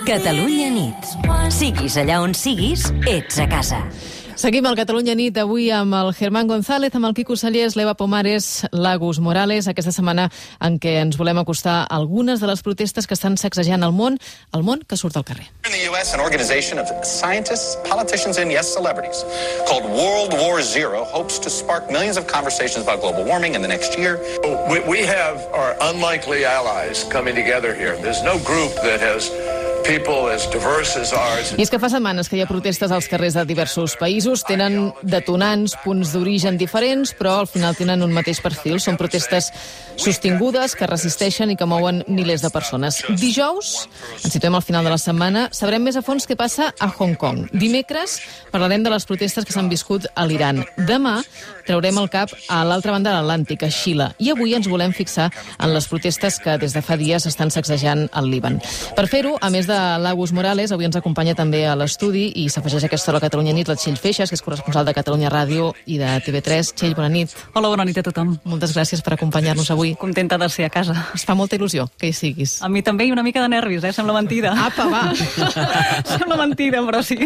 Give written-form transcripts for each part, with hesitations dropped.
Catalunya nit. Siguis allà on siguis, ets a casa. Seguim al Catalunya nit avui amb el Germán González, amb el Quico Sallés, l'Eva Pomares, l'Agus Morales, aquesta setmana en què ens volem acostar a algunes de les protestes que estan sacsejant el món que surt al carrer. In the U.S., an organization of scientists, politicians, and yes, celebrities called World War Zero hopes to spark millions of conversations about global warming in the next year. We have our unlikely allies coming together here. There's no group that has people as diverse as ours. I és que fa setmanes que hi ha protestes als carrers de diversos països, tenen detonants, punts d'origen diferents, però al final tenen un mateix perfil. Són protestes sostingudes que resisteixen i que mouen milers de persones. Dijous, ens situem al final de la setmana, sabrem més a fons què passa a Hong Kong. Dimecres parlarem de les protestes que s'han viscut a l'Iran. Demà traurem el cap a l'altra banda de l'Atlàntic, a Xile. I avui ens volem fixar en les protestes que des de fa dies estan sacsejant el Líban. Per fer-ho, a més de l'Agus Morales, avui ens acompanya també a l'estudi i s'afegeix a aquesta hora a Catalunya nit la Txell Feixas, que és corresponsal de Catalunya Ràdio i de TV3. Txell, bona nit. Hola, bona nit a tothom. Moltes gràcies per acompanyar-nos avui. Contenta de ser a casa. Es fa molta il·lusió que hi siguis. A mi també, i una mica de nervis, sembla mentida. Apa, va! Sembla mentida, però sí.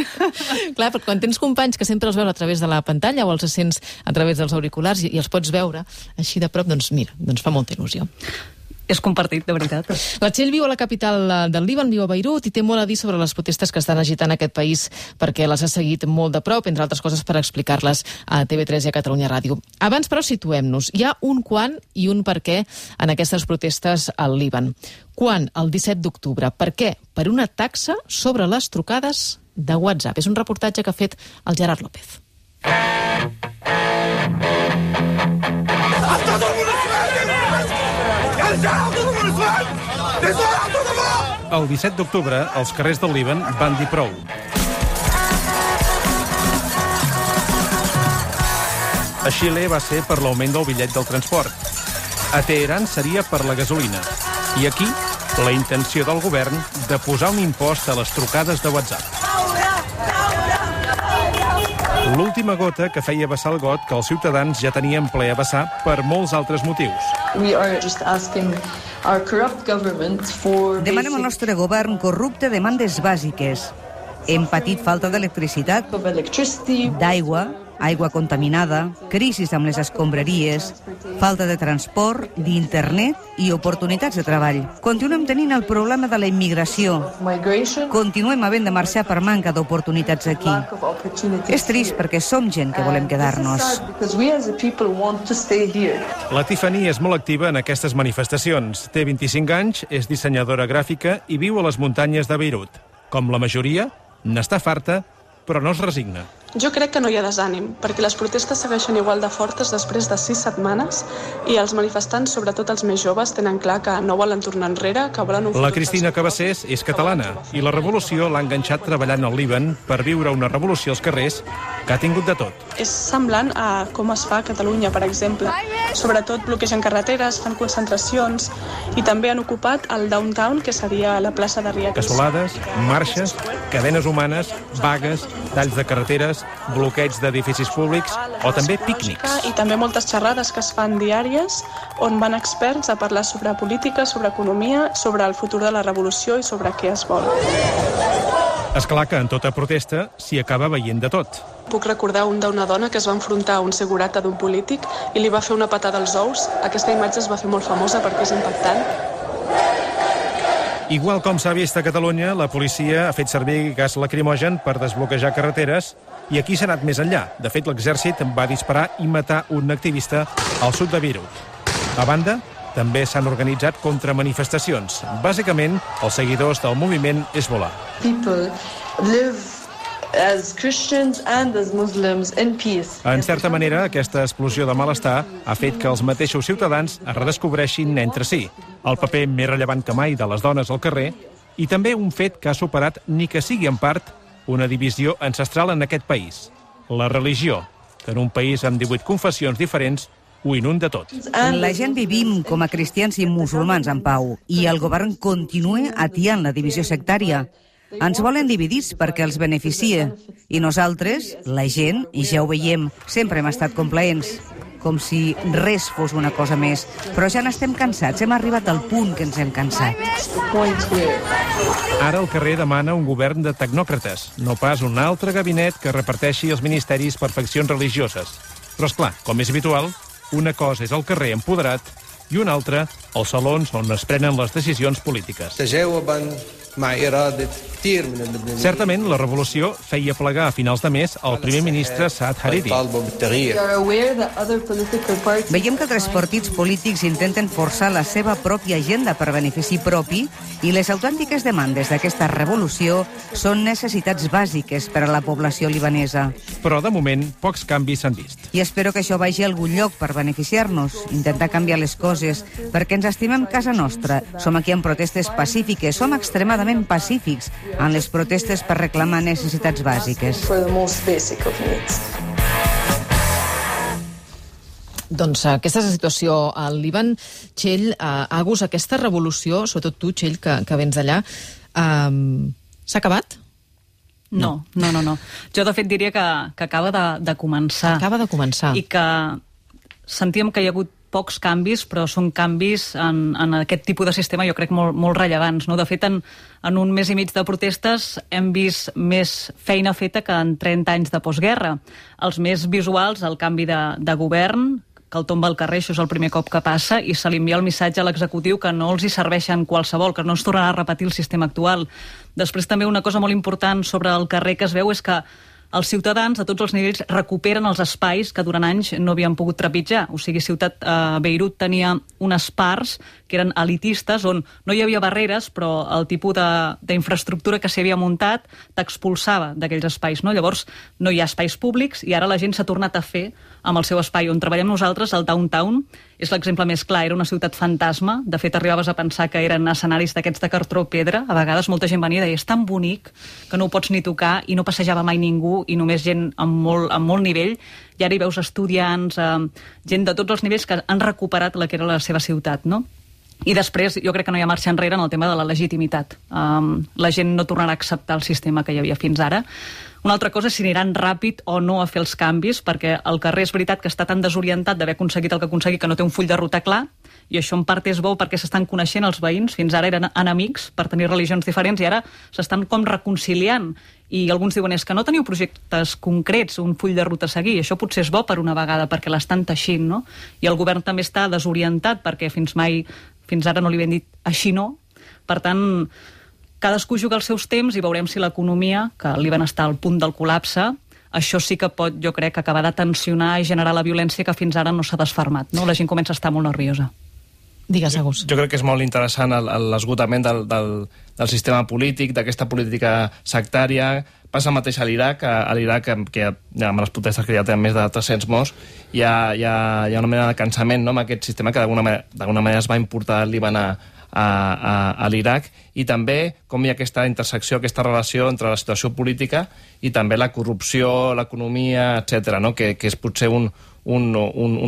Clar, perquè quan tens companys que sempre els veus a través de la pantalla o els sents a través dels auriculars i els pots veure així de prop, doncs mira, fa molta il·lusió. És compartit, de veritat. La Txell viu a la capital del Líban, viu a Beirut, i té molt a dir sobre les protestes que estan agitant aquest país perquè les ha seguit molt de prop, entre altres coses per explicar-les a TV3 i a Catalunya Ràdio. Abans, però, situem-nos. Hi ha un quan i un per què en aquestes protestes al Líban. Quan? El 17 d'octubre. Per què? Per una taxa sobre les trucades de WhatsApp. És un reportatge que ha fet el Gerard López. El 17 d'octubre, els carrers del Líban van dir prou. A Xile va ser per l'augment del bitllet del transport. A Teheran seria per la gasolina. I aquí, la intenció del govern de posar un impost a les trucades de WhatsApp. L'última gota que feia vessar el got que els ciutadans ja tenien ple a vessar per molts altres motius. Demanem al nostre govern corrupte demandes bàsiques. Hem patit falta d'electricitat, d'aigua, aigua contaminada, crisis amb les escombraries, falta de transport, d'internet i oportunitats de treball. Continuem tenint el problema de la immigració. Continuem havent de marxar per manca d'oportunitats aquí. És trist perquè som gent que volem quedar-nos. La Tiffany és molt activa en aquestes manifestacions. Té 25 anys, és dissenyadora gràfica i viu a les muntanyes de Beirut. Com la majoria, n'està farta, però no es resigna. Jo crec que no hi ha desànim, perquè les protestes segueixen igual de fortes després de 6 setmanes i els manifestants, sobretot els més joves, tenen clar que no volen tornar enrere, que volen un futur. La Cristina Cabassés és catalana i la revolució l'ha enganxat treballant al Líban per viure una revolució als carrers que ha tingut de tot. És semblant a com es fa a Catalunya, per exemple. Sobretot bloquegen carreteres, fan concentracions i també han ocupat el downtown, que seria la plaça de Riad. Cassolades, marxes, cadenes humanes, vagues, talls de carreteres, bloqueig d'edificis públics o també pícnics. I també moltes xerrades que es fan diàries on van experts a parlar sobre política, sobre economia, sobre el futur de la revolució i sobre què es vol. És clar que en tota protesta s'hi acaba veient de tot. Puc recordar d'una dona que es va enfrontar a un segurata d'un polític i li va fer una patada als ous. Aquesta imatge es va fer molt famosa perquè és impactant. Igual com s'ha vist a Catalunya, la policia ha fet servir gas lacrimogen per desbloquejar carreteres i aquí s'ha anat més enllà. De fet, l'exèrcit va disparar i matar un activista al sud de Beirut. A banda, també s'han organitzat contramanifestacions. Bàsicament, els seguidors del moviment Hezbollah. En certa manera, aquesta explosió de malestar ha fet que els mateixos ciutadans es redescobreixin entre si, el paper més rellevant que mai de les dones al carrer i també un fet que ha superat, ni que sigui en part, una divisió ancestral en aquest país, la religió, que en un país amb 18 confessions diferents ho inunda tot. La gent vivim com a cristians i musulmans en pau i el govern continua atiant la divisió sectària. Ens volen dividits perquè els beneficia. I nosaltres, la gent, i ja ho veiem, sempre hem estat complaents. com si res fos una cosa més. Però ja n'estem cansats, hem arribat al punt que ens hem cansat. Ara el carrer demana un govern de tecnòcrates, no pas un altre gabinet que reparteixi els ministeris per faccions religioses. Però, esclar, com és habitual, una cosa és el carrer empoderat i una altra, els salons on es prenen les decisions polítiques. Certament, la revolució feia plegar a finals de mes el primer ministre Saad Hariri. Veiem que tres partits polítics intenten forçar la seva pròpia agenda per benefici propi i les autèntiques demandes d'aquesta revolució són necessitats bàsiques per a la població libanesa. Però, de moment, pocs canvis s'han vist. I espero que això vagi a algun lloc per beneficiar-nos, intentar canviar les coses, perquè ens estimem casa nostra. Som aquí en protestes pacífiques, som extremadament pacífics en les protestes per reclamar necessitats bàsiques. Doncs aquesta és la situació al Líban. Txell, Agus, aquesta revolució, sobretot tu, Txell, que vens d'allà, s'ha acabat? No. Jo, de fet, diria que acaba de començar. Acaba de començar. I que sentíem que hi ha hagut pocs canvis, però són canvis en aquest tipus de sistema, jo crec, molt rellevants. No? De fet, en un mes i mig de protestes hem vist més feina feta que en 30 anys de postguerra. Els més visuals, el canvi de govern, que el tomba al carrer, això és el primer cop que passa, i se li envia el missatge a l'executiu que no els hi serveixen qualsevol, que no es tornarà a repetir el sistema actual. Després també una cosa molt important sobre el carrer que es veu és que els ciutadans a tots els nivells recuperen els espais que durant anys no havien pogut trepitjar. O sigui, Beirut tenia unes parts que eren elitistes, on no hi havia barreres, però el tipus d'infraestructura que s'hi havia muntat t'expulsava d'aquells espais. No? Llavors, no hi ha espais públics i ara la gent s'ha tornat a fer amb el seu espai. On treballem nosaltres, el downtown, és l'exemple més clar. Era una ciutat fantasma. De fet, arribaves a pensar que eren escenaris d'aquests de cartró pedra. A vegades molta gent venia i deia, és tan bonic que no ho pots ni tocar, i no passejava mai ningú, i només gent amb molt nivell. I ara hi veus estudiants, gent de tots els nivells que han recuperat la que era la seva ciutat, no? I després, jo crec que no hi ha marxa enrere en el tema de la legitimitat. La gent no tornarà a acceptar el sistema que hi havia fins ara. Una altra cosa és si aniran ràpid o no a fer els canvis, perquè el carrer és veritat que està tan desorientat d'haver aconseguit el que ha aconseguit que no té un full de ruta clar, i això en part és bo perquè s'estan coneixent els veïns. Fins ara eren enemics per tenir religions diferents i ara s'estan com reconciliant. I alguns diuen, és que no teniu projectes concrets, un full de ruta a seguir. Això potser és bo per una vegada, perquè l'estan teixint, no? I el govern també està desorientat, perquè fins ara no li havien dit així no. Per tant, cadascú juga els seus temps i veurem si l'economia, que al Líban està al punt del col·lapse, això sí que pot, jo crec, acabar de tensionar i generar la violència que fins ara no s'ha desfermat. No? La gent comença a estar molt nerviosa. Digues, Agus. Jo crec que és molt interessant l'esgotament del sistema polític, d'aquesta política sectària. Passa el mateix a l'Iraq, que amb les protestes que ja tenen més de 300 morts, hi ha una mena de cansament, no?, amb aquest sistema que d'alguna manera es va importar al Líban a l'Iraq, i també com hi ha aquesta intersecció, aquesta relació entre la situació política i també la corrupció, l'economia, etc., no?, que és potser un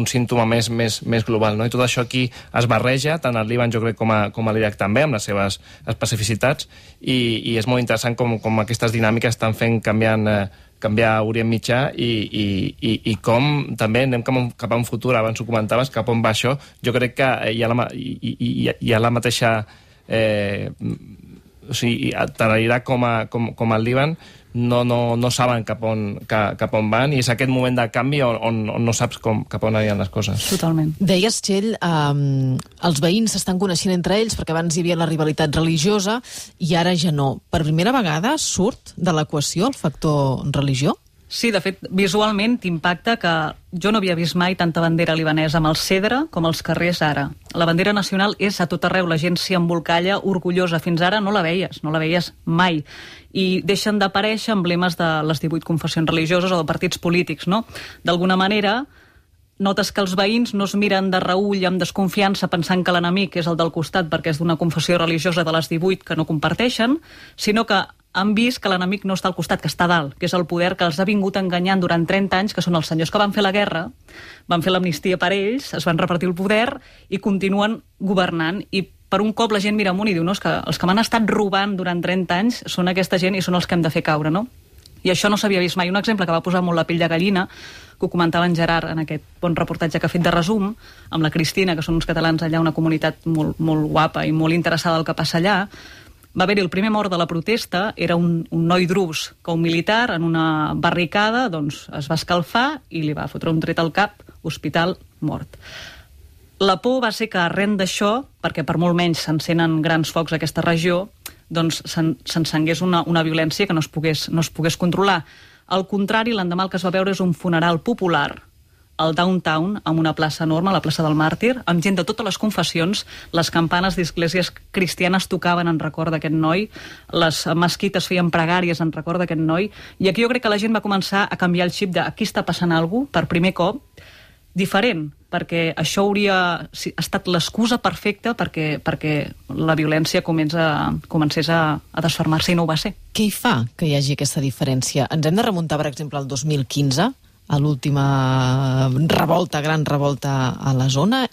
símptoma més global, no? I tot això aquí es barreja, tant al Líban, jo crec, com a l'Iraq també, amb les seves especificitats, i és molt interessant com aquestes dinàmiques estan fent canviar Orient Mitjà i com també anem cap a un futur, abans ho comentaves, cap on va això. Jo crec que hi ha la mateixa... o sigui, tant a l'Iraq com al Líban no saben cap on van, i és aquest moment de canvi on no saps cap on aniran les coses. Totalment. Deies, Txell, els veïns s'estan coneixent entre ells perquè abans hi havia la rivalitat religiosa i ara ja no. Per primera vegada surt de l'equació el factor religió? Sí, de fet, visualment t'impacta que jo no havia vist mai tanta bandera libanesa amb el cedre com als carrers ara. La bandera nacional és a tot arreu, la gent s'hi embolcalla orgullosa. Fins ara no la veies mai. I deixen d'aparèixer emblemes de les 18 confessions religioses o de partits polítics, no? D'alguna manera, notes que els veïns no es miren de reüll amb desconfiança pensant que l'enemic és el del costat perquè és d'una confessió religiosa de les 18 que no comparteixen, sinó que han vist que l'enemic no està al costat, que està a dalt, que és el poder que els ha vingut enganyant durant 30 anys, que són els senyors que van fer la guerra, van fer l'amnistia per ells, es van repartir el poder i continuen governant. I per un cop la gent mira amunt i diu, no, és que els que m'han estat robant durant 30 anys són aquesta gent i són els que hem de fer caure, no? I això no s'havia vist mai. Un exemple que va posar molt la pell de gallina, que ho comentava en Gerard en aquest bon reportatge que ha fet de resum, amb la Cristina, que són uns catalans allà, una comunitat molt, molt guapa i molt interessada del que passa allà. Va haver-hi el primer mort de la protesta, era un noi drus que un militar en una barricada doncs, es va escalfar i li va fotre un tret al cap, hospital, mort. La por va ser que arran d'això, perquè per molt menys s'encenen grans focs a aquesta regió, doncs s'encengués una violència que no es pogués controlar. Al contrari, l'endemà el que es va veure és un funeral popular al downtown, amb una plaça enorme, la plaça del Màrtir, amb gent de totes les confessions, les campanes d'esglésies cristianes tocaven en record d'aquest noi, les mesquites feien pregàries en record d'aquest noi, i aquí jo crec que la gent va començar a canviar el xip de aquí està passant alguna cosa, per primer cop, diferent, perquè això hauria estat l'excusa perfecta perquè la violència comencés a desfermar-se i no ho va ser. Què hi fa que hi hagi aquesta diferència? Ens hem de remuntar, per exemple, al 2015, a l'última gran revolta a la zona.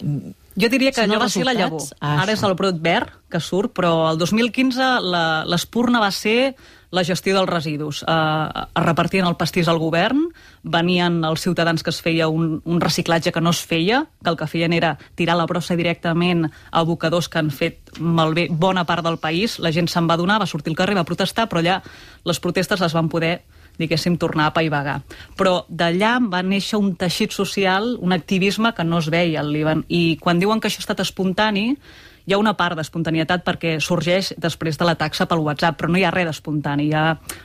Jo diria que allò va ser la llavor. Ara és el brot verd que surt, però el 2015 l'espurna va ser la gestió dels residus. Es repartien el pastís al govern, venien els ciutadans que es feia un reciclatge que no es feia, que el que feien era tirar la brossa directament a abocadors que han fet malbé bona part del país. La gent se'n va adonar, va sortir al carrer, va protestar, però allà les protestes les van poder, diguéssim, tornar a paivagar. Però d'allà va néixer un teixit social, un activisme que no es veia al Líban. I quan diuen que això ha estat espontani, hi ha una part d'espontanietat perquè sorgeix després de la taxa pel WhatsApp, però no hi ha res d'espontani.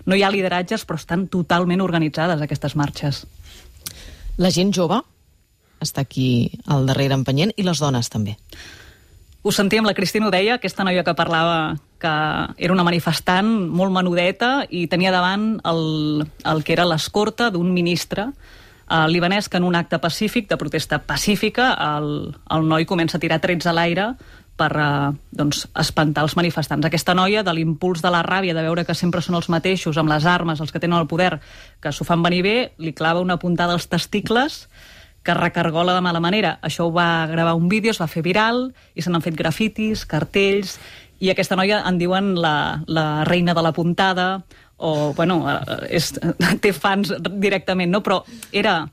No hi ha lideratges, però estan totalment organitzades aquestes marxes. La gent jove està aquí al darrere empenyent i les dones també. Ho sentíem, la Cristina ho deia, aquesta noia que parlava que era una manifestant molt menudeta i tenia davant el que era l'escorta d'un ministre libanès que en un acte pacífic, de protesta pacífica, el noi comença a tirar trets a l'aire per espantar els manifestants. Aquesta noia, de l'impuls de la ràbia, de veure que sempre són els mateixos, amb les armes, els que tenen el poder, que s'ho fan venir bé, li clava una puntada als testicles que recargola de mala manera. Això ho va gravar un vídeo, es va fer viral, i se n'han fet grafitis, cartells, i aquesta noia en diuen la reina de la puntada, o, bueno, té fans directament, no? Però era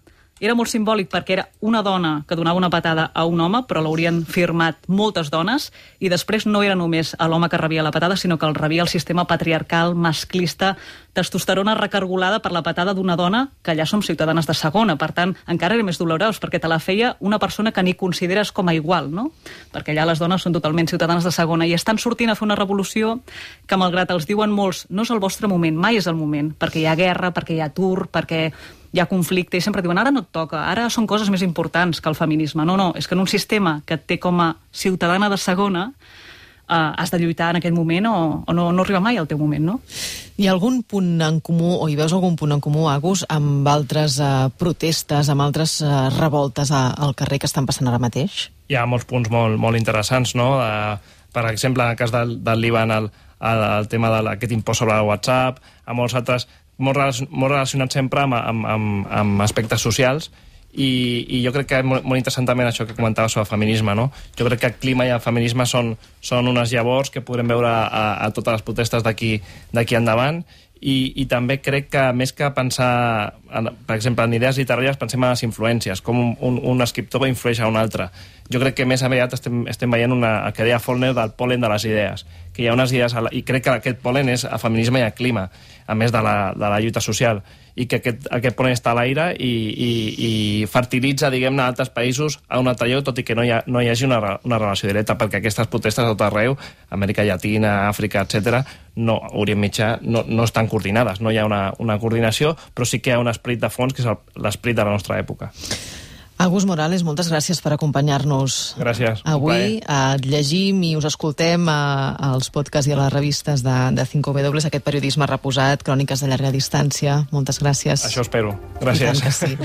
molt simbòlic perquè era una dona que donava una patada a un home, però l'haurien firmat moltes dones, i després no era només l'home que rebia la patada, sinó que el rebia el sistema patriarcal, masclista, testosterona recargolada per la patada d'una dona, que allà som ciutadanes de segona. Per tant, encara era més dolorós, perquè te la feia una persona que ni consideres com a igual, no? Perquè allà les dones són totalment ciutadanes de segona, i estan sortint a fer una revolució que, malgrat els diuen molts, no és el vostre moment, mai és el moment, perquè hi ha guerra, perquè hi ha atur, perquè hi ha conflicte, i sempre diuen, ara no et toca, ara són coses més importants que el feminisme. No, és que en un sistema que et té com a ciutadana de segona has de lluitar en aquell moment o no arriba mai al teu moment, no? Hi ha algun punt en comú, o hi veus algun punt en comú, Agus, amb altres protestes, amb altres revoltes al carrer que estan passant ara mateix? Hi ha molts punts molt interessants, no? Per exemple, en el cas del Líban, el tema d'aquest impost sobre el WhatsApp, a molts altres, molt relacionats sempre amb aspectes socials, i jo crec que és molt interessant també això que comentava sobre el feminisme, no? Jo crec que el clima i el feminisme són unes llavors que podrem veure a totes les protestes d'aquí endavant, i també crec que més que pensar, per exemple, en idees literàries, pensem en les influències, com un escriptor influeix a un altre. Jo crec que més aviat estem veient el que deia Faulkner del pol·len de les idees, que hi ha unes idees, i crec que aquest pol·len és el feminisme i el clima, a més de la lluita social, i que aquest pol·len està a l'aire i fertilitza, diguem-ne, a altres països a un altre lloc, tot i que no hi hagi una relació directa, perquè aquestes protestes a tot arreu, Amèrica Llatina, Àfrica, etc., Orient Mitjà, no estan coordinades, no hi ha una coordinació, però sí que hi ha un esperit de fons, que és l'esperit de la nostra època. Agus Morales, moltes gràcies per acompanyar-nos. Gràcies. Avui llegim i us escoltem als podcasts i a les revistes de 5W, aquest periodisme reposat, cròniques de llarga distància. Moltes gràcies. Això espero. Gràcies. I tant que sí.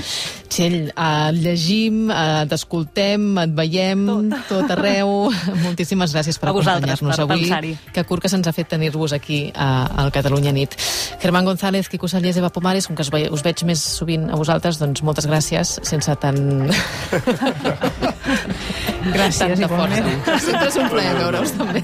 Txell, llegim, t'escoltem, et veiem tot arreu. Moltíssimes gràcies per acompanyar-nos avui. Que curt que se'ns ha fet tenir-vos aquí al Catalunya Nit. Germán González, Quico Sallés, Eva Pomares, com que us veig més sovint a vosaltres, doncs moltes gràcies, sense tant... Gràcies, tanta força. Sempre és un plaer veure-us també.